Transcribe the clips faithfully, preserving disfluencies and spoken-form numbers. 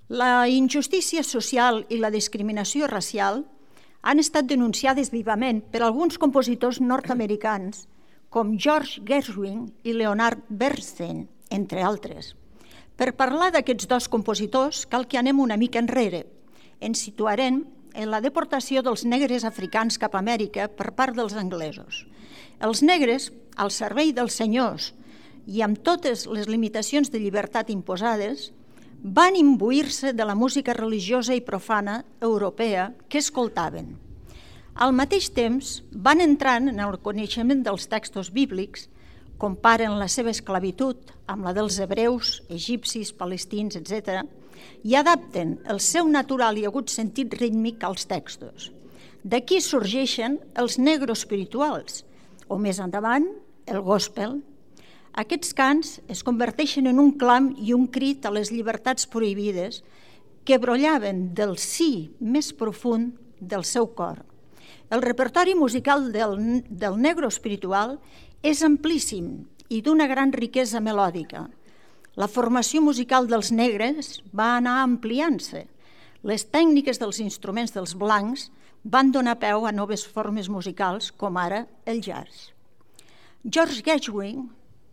La injustícia social i la discriminació racial han estat denunciades vivament per alguns compositors nord-americans com George Gershwin i Leonard Bernstein, entre altres. Per parlar d'aquests dos compositors cal que anem una mica enrere. Ens situarem en la deportació dels negres africans cap a Amèrica per part dels anglesos. Els negres, al servei dels senyors i amb totes les limitacions de llibertat imposades, van imbuir-se de la música religiosa i profana europea que escoltaven. Al mateix temps, van entrant en el coneixement dels textos bíblics, comparen la seva esclavitud amb la dels hebreus, egipcis, palestins, etcètera, i adapten el seu natural i agut sentit rítmic als textos. D'aquí sorgeixen els negros espirituals, o més endavant, el gospel. Aquests cants es converteixen en un clam i un crit a les llibertats prohibides que brollaven del sí més profund del seu cor. El repertori musical del, del negro espiritual és amplíssim i d'una gran riquesa melòdica. La formació musical dels negres va anar ampliant-se. Les tècniques dels instruments dels blancs van donar peu a noves formes musicals, com ara el jazz. George Gershwin,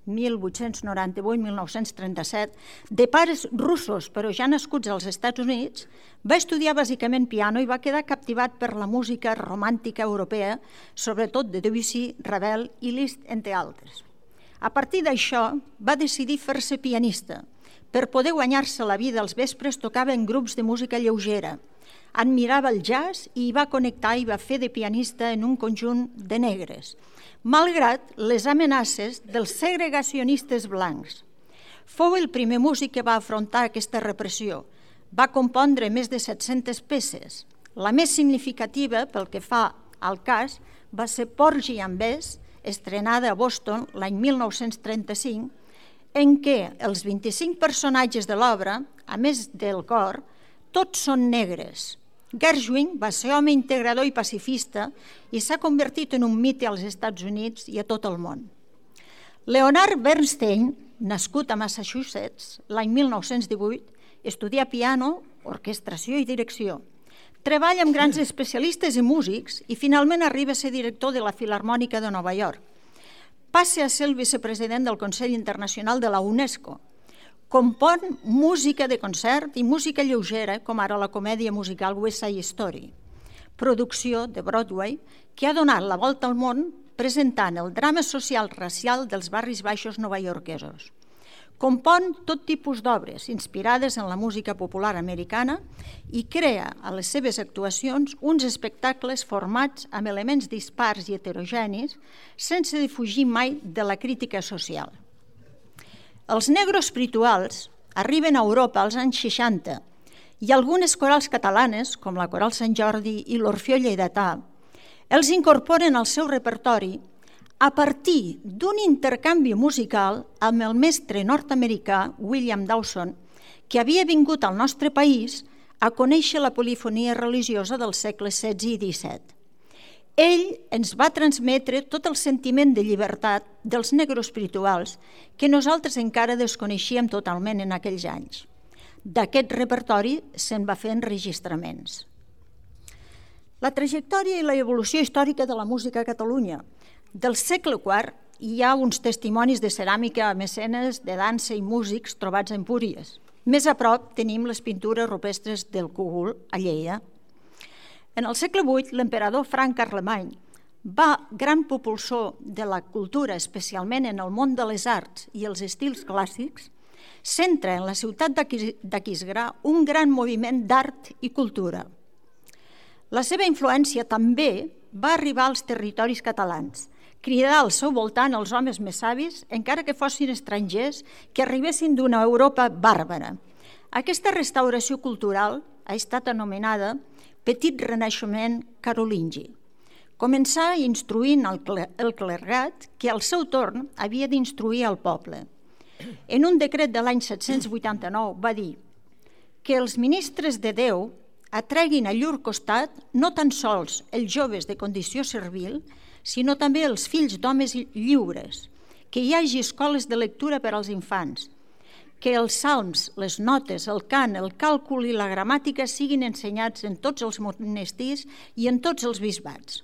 mil vuit-cents noranta-vuit a mil nou-cents trenta-set, de pares russos però ja nascuts als Estats Units, va estudiar bàsicament piano i va quedar captivat per la música romàntica europea, sobretot de Debussy, Ravel i Liszt, entre altres. A partir d'això, va decidir fer-se pianista. Per poder guanyar-se la vida als vespres tocava en grups de música lleugera. Admirava el jazz i hi va connectar i va fer de pianista en un conjunt de negres, malgrat les amenaces dels segregacionistes blancs. Fou el primer músic que va afrontar aquesta repressió. Va compondre més de set-centes peces. La més significativa, pel que fa al cas, va ser Porgy and Bess, estrenada a Boston l'any mil nou-cents trenta-cinc, en què els vint-i-cinc personatges de l'obra, a més del cor, tots són negres. Gershwin va ser home integrador i pacifista i s'ha convertit en un mite als Estats Units i a tot el món. Leonard Bernstein, nascut a Massachusetts l'any mil nou-cents divuit, estudia piano, orquestració i direcció. Treballa amb grans especialistes i músics i finalment arriba a ser director de la Filharmònica de Nova York. Passa a ser el vicepresident del Consell Internacional de la UNESCO. Compon música de concert i música lleugera, com ara la comèdia musical West Side Story, producció de Broadway que ha donat la volta al món presentant el drama social racial dels barris baixos novaiorquesos. Compon tot tipus d'obres inspirades en la música popular americana i crea a les seves actuacions uns espectacles formats amb elements dispars i heterogenis sense defugir mai de la crítica social. Els negros espirituals arriben a Europa als anys seixanta i algunes corals catalanes, com la Coral Sant Jordi i l'Orfeó Lleidatà, els incorporen al seu repertori a partir d'un intercanvi musical amb el mestre nord-americà William Dawson, que havia vingut al nostre país a conèixer la polifonia religiosa dels segles setze i disset. Ell ens va transmetre tot el sentiment de llibertat dels negros espirituals que nosaltres encara desconeixíem totalment en aquells anys. D'aquest repertori se'n va fer enregistraments. La trajectòria i la evolució històrica de la música a Catalunya. Del segle quart hi ha uns testimonis de ceràmica a mecenes, de dansa i músics trobats a Empúries. Més a prop tenim les pintures rupestres del Cogul a Lleida. En el segle vuit, l'emperador Franc Carlemany, va gran propulsor de la cultura, especialment en el món de les arts i els estils clàssics, centra en la ciutat d'Aquisgrà un gran moviment d'art i cultura. La seva influència també va arribar als territoris catalans, cridar al seu voltant els homes més savis, encara que fossin estrangers, que arribessin d'una Europa bàrbara. Aquesta restauració cultural ha estat anomenada Petit Renaixement carolingi. Començà instruint el clergat, que al seu torn havia d'instruir el poble. En un decret de l'any set-cents vuitanta-nou va dir que els ministres de Déu atreguin a llur costat no tan sols els joves de condició servil, sinó també els fills d'homes lliures, que hi hagi escoles de lectura per als infants, que els salms, les notes, el cant, el càlcul i la gramàtica siguin ensenyats en tots els monestirs i en tots els bisbats.